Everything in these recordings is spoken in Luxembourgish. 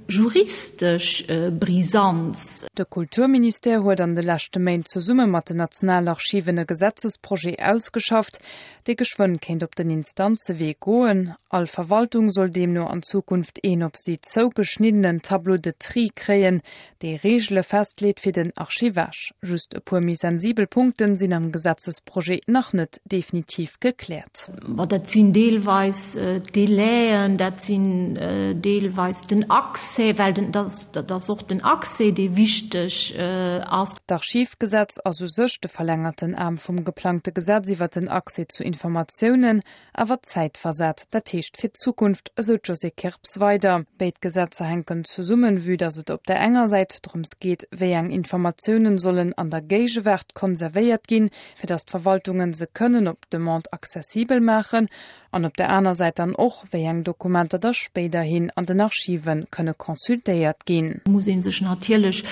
Juristesch Brisanz. De Kulturministère huet an de leschte Méint zesumme mat den Nationalarchiven e Gesetzesprojet ausgeschafft, dee geschwënn kéint op den Instanzewee goen. All Verwaltung soll deemno an Zukunft een op si zougeschniddenen Tableau de tri kréien, dee Reegele festleet fir den Archivage. Just e puer méi sensibel Punkten sinn am Gesetzesprojet nach net definitiv gekläert. Ma dat sinn deelweis d'Délaien, dat sinn deelweis den Accès, well den, dat ass och den Accès, dee wichteg ass. D'Archivgesetz ass u sech de verlängerten Aarm vum geplangte Gesetz iwwert den Accès zu Informatiounen. Awer zäitversat, dat heescht fir d'Zukunft, esou d'Josée Kirps weider. Béid Gesetzer hänken zesummen, vue datt et op der enger Säit drëms geet, wéi eng Informatiounen sollen an der Géigewaart konservéiert ginn, fir datt d'Verwaltungen se kënnen op Demande accessibel maachen, an op der aner Säit dann och, wéi eng Dokumenter da spéiderhin an den Archive kënne consultéiert ginn. Muss ee sech natierlech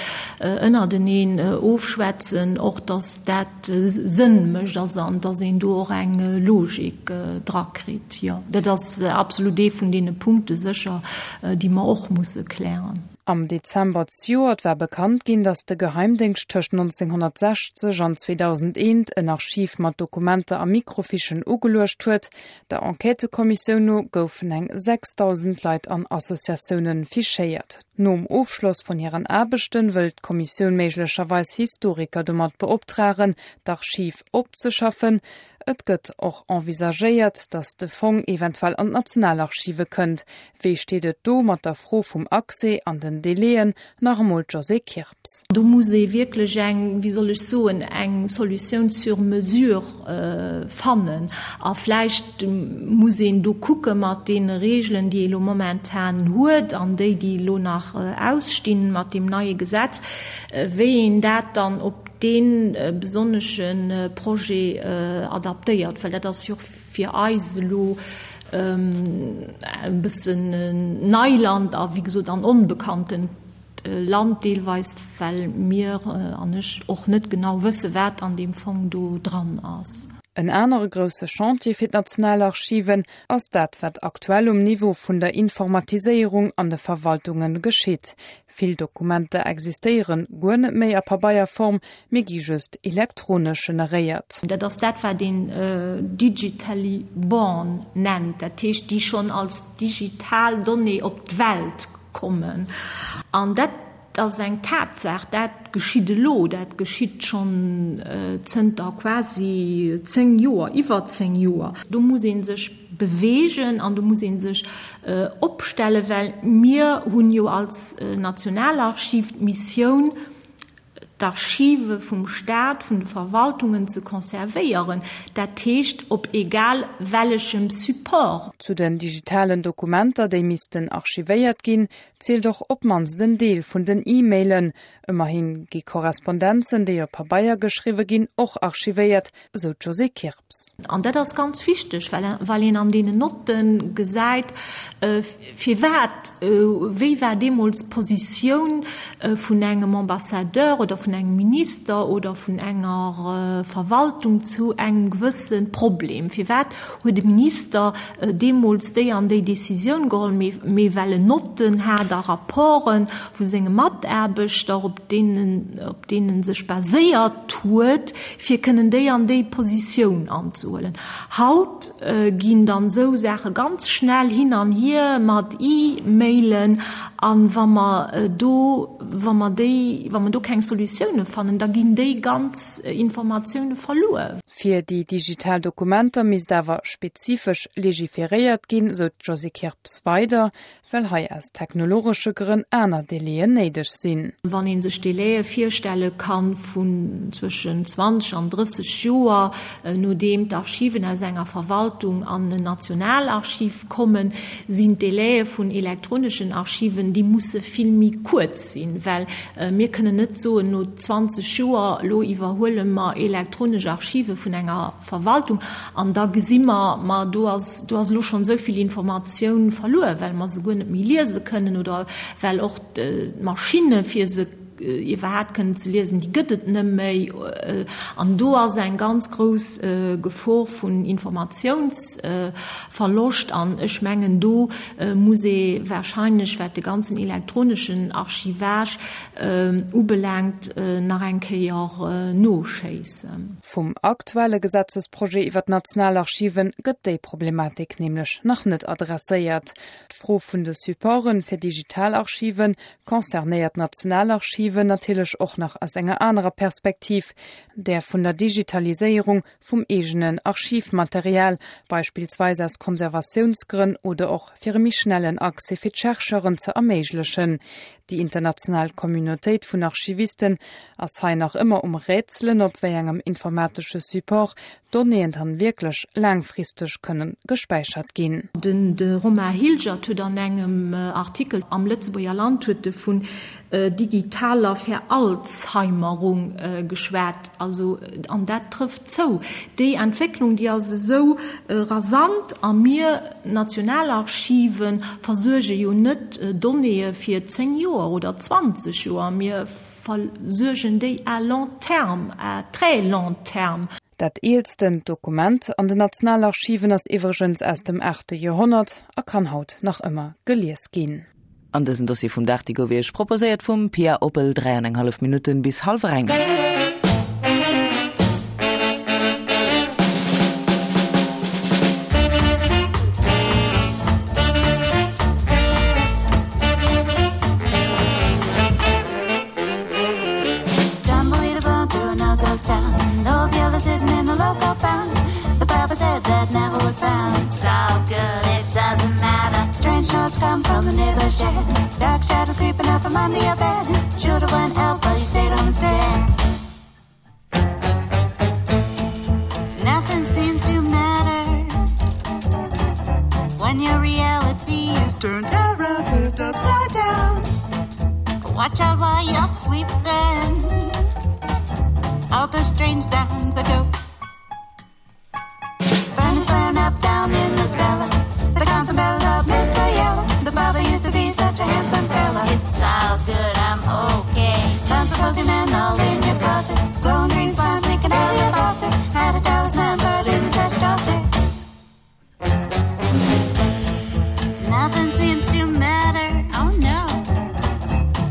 ënnerteneen ofschwätzen, och datt dat Sënn mécht ass an dass een do och eng Logik drakritt. Jo, dat ass absolut ee vun deene Punkte sécher, déi mer och musse klären. Am Dezember zejoert war bekannt ginn, datt de Geheimdéngscht tëscht 1960 an 2001 en Archiv mat Dokumenter a Microfichen ugeluecht huet. Der Enquêtëkommissioun no goufen eng 6.000 Leit an Associatioune fichéiert. Nom Ofschloss vun hiren Aarbechten wëll d'Kommissioun méiglecherweis Historiker domat beoptragen, d'Archiv opzeschaffen. Et gëtt och envisagéiert, datt de Fong eventuell an d'Nationalarchive kënnt. Wéi steet et do mat der Fro vum Accès an den Délaiën? Nach emol d'Josée Kirps. Do muss ee wierklech eng, wéi soll ech soen, eng Solutioun sur mesure fannen. A vläicht muss een do kucke mat deene Regeln, déi ee elo momentan huet an déi, déi elo nach ausstinn mat deem neie Gesetz, wéi een dat dann op dee besonnesche Projet adaptéiert, well dat ass jo och fir eis elo e bëssen Neiland a wéi gesot an onbekanntent Land deelweis, well mir an ech och net genau wësse wat an deem Fong do dran ass. En anere grousse Chantier fir d'Nationalarchiven ass dat, wat aktuell um Niveau vun der Informatiséierung an de Verwaltunge geschitt. Vill Dokumenter existéieren guer net méi a Pabeierform, mee gi just elektronesch generéiert. Dat ass dat, wat een digitally born nennt, dat heescht, déi schonn als digital Donnée op d'Welt kommen. An dat ass eng Tatsaach, dat geschitt elo, dat geschitt schonn zënter quasi 10 Joer, iwwer 10 Joer. Do muss ee sech beweegen an do muss ee sech opstellen, well mir hunn jo als Nationalarchiv d'Missioun, d'Archive vum Staat, vun de Verwaltungen ze conservéieren, dat heescht op egal wellechem Support. Zu den digitalen Dokumenter, déi missten archivéiert ginn, zielt och op d'mannst en Deel vun den E-Mailen. Ëmmerhi gi Korrespondenzen, déi op Pabeier geschriwwe ginn, och archivéiert, esou d'Josée Kirps. An dat ass ganz wichteg, well well een an deenen Notte gesäit, firwat, wéi war deemools d'Positioun vun engem Ambassadeur oder vun engem Minister oder vun enger Verwaltung zu engem gewësse Problem. Firwat huet e Minister deemools déi an déi Décisioun geholl, mee well en Notten hat a Rapporte vu senge Mataarbechter, op deenen op deenen en sech baséiert huet, fir kënnen déi an déi Positioun anzehuelen. Haut ginn dann esou Saache ganz schnell hin an hier mat E-Mailen, a wa mer do, wa mer déi, wa mer do keng Solutioune fannen, da ginn déi ganz Informatioune verluer. Fir déi digital Dokumenter misst awer spezifesch legiferéiert ginn, sou d'Josée Kirps weider. Well hei aus technologesche Grënn aner Délaiën néideg sinn. Wann ee sech Délaië virstelle kann vun zwëschen 20 an 30 Joer, nodeem d'Archiven aus enger Verwaltung an en Nationalarchiv kommen, sinn d'Délaië vun elektroneschen Archiven, déi musse vill méi kuerz sinn, well mir kënnen net soen, no 20 Joer, elo iwwerhuele mer elektronesch Archive vun enger Verwaltung, an da gesi mer, ma do ass, do ass elo schonn esou vill Informatioun verluer, well mer se guer net méi liese kënnen oder well och d'Maschinne fir se. iwwerhaapt kënnen ze liesen, déi gëtt et net méi. An do ass eng ganz grouss Gefor vun Informatiounsverloscht. An ech mengen, do muss ee wahrscheinlech, wat de ganzen elektroneschen Archivage ubelaangt, nach eng Kéier noschéissen. Vum aktuelle Gesetzesprojet iwwer d'Nationalarchiven gëtt déi Problematik nämlech nach net adresséiert. D'Fro vun de Supporte fir digital Archive concernéiert d'Nationalarchiven natierlech och nach aus enger anerer Perspektiv, där vun der Digitaliséierung vum eegenen Archivmaterial, beispillsweis aus Konservatiounsgrënn oder och fir e méi schnellen Accès fir d'Chercheuren ze erméiglechen. Déi international Communautéit vun Archivisten ass hei nach ëmmer um Rätselen, op wéi engem informatesche Support d'Donnéeën dann wierklech laangfristeg kënnen gespäichert ginn. Den de Romain Hilgert huet an engem Artikel am Lëtzebuerger Land huet e vun digitaler Veralzheimerung geschwat. Also, an dat trëfft zou. Déi Entwécklung, déi ass esou rasant a mir Nationalarchive versuerge jo net Donnéeë fir 10 Joer oder 20 Joer, mir versuergen déi à long terme, à très long terme. Dat eelsten Dokument an den Nationalarchiven ass iwwregens aus dem aachte Joerhonnert a kann haut nach ëmmer gelies ginn. An dësen Dossier vum Dag, dee gouf Iech proposéiert vum Pia Oppel, 3 an eng hallef Minutten bis hallwer eng. Watch out while you're sleeping. All the strange sounds that go. Furnace went up down in the cellar. The constant bell of Mr. Yellow. The father used to be such a handsome fella. It's all good, I'm okay. Tons of Pokemon all in your closet. Glowing green slime leaking out of your faucet. Had a talisman, but in the trash tossed it. Nothing seems to matter, oh no.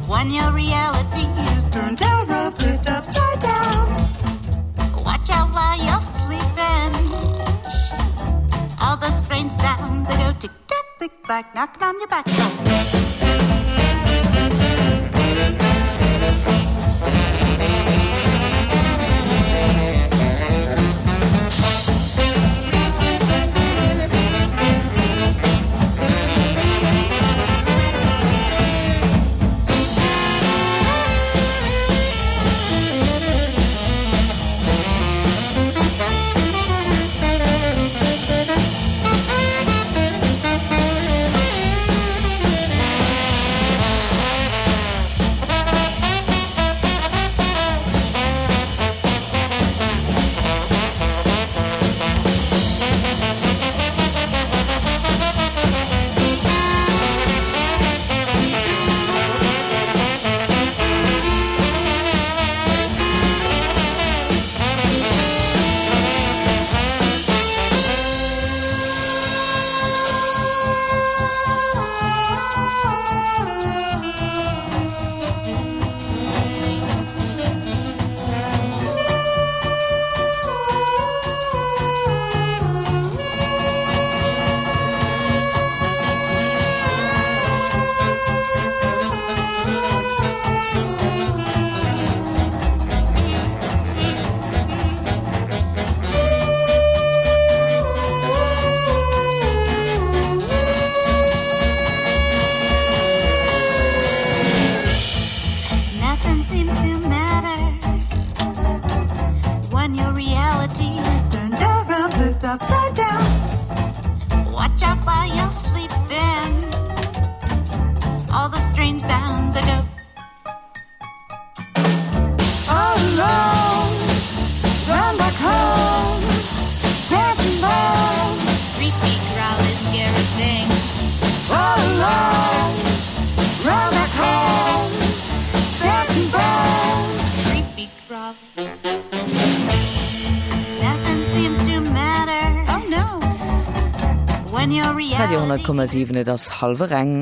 When your reality is turned down, flipped upside down. Watch out while you're sleeping. All the strange sounds that go tick tock tick like knocking on your back door. Radio 10,7 Et ass hallwer eng.